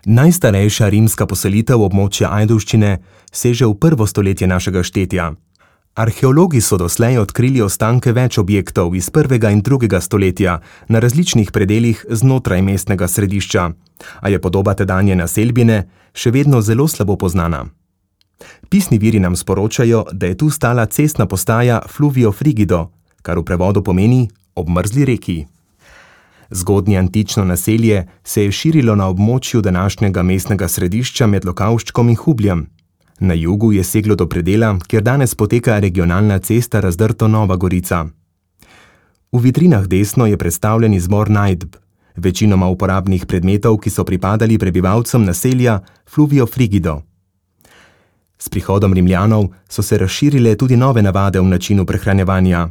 Najstarejša rimska poselitev območja Ajdovščine seže v 1. stoletje našega štetja. Arheologi so doslej odkrili ostanke več objektov iz 1. in 2. stoletja na različnih predelih znotraj mestnega središča, a je podoba tedanje naselbine še vedno zelo slabo poznana. Pisni viri nam sporočajo, da je tu stala cestna postaja Fluvio Frigido, kar v prevodu pomeni obmrzli reki. Zgodnje antično naselje se je širilo na območju današnjega mestnega središča med Lokavščkom in Hubljem. Na jugu je seglo do predela, kjer danes poteka regionalna cesta Razdrto-Nova Gorica. V vitrinah desno je predstavljen izbor najdb, večinoma uporabnih predmetov, ki so pripadali prebivalcem naselja Fluvio Frigido. S prihodom Rimljanov so se razširile tudi nove navade v načinu prehranjevanja.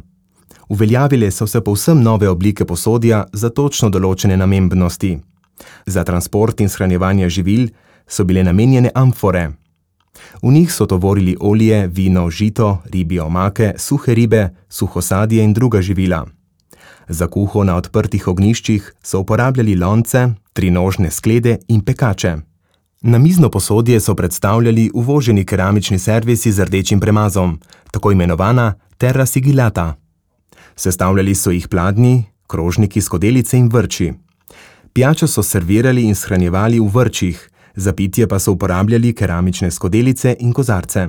Uveljavile so se povsem nove oblike posodja za točno določene namembnosti. Za transport in shranjevanje živil so bile namenjene amfore. V njih so tovorili olje, vino, žito, ribje omake, suhe ribe, suho sadje in druga živila. Za kuho na odprtih ognjiščih so uporabljali lonce, trinožne sklede in pekače. Namizno posodje so predstavljali uvoženi keramični servisi z rdečim premazom, tako imenovana terra sigillata. Sestavljali so jih pladnji, krožniki, skodelice in vrči. Pijačo so servirali in shranjevali v vrčih, za pitje pa so uporabljali keramične skodelice in kozarce.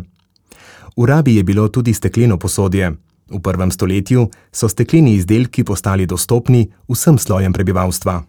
V rabi je bilo tudi stekleno posodje. V 1. stoletju so stekleni izdelki postali dostopni vsem slojem prebivalstva.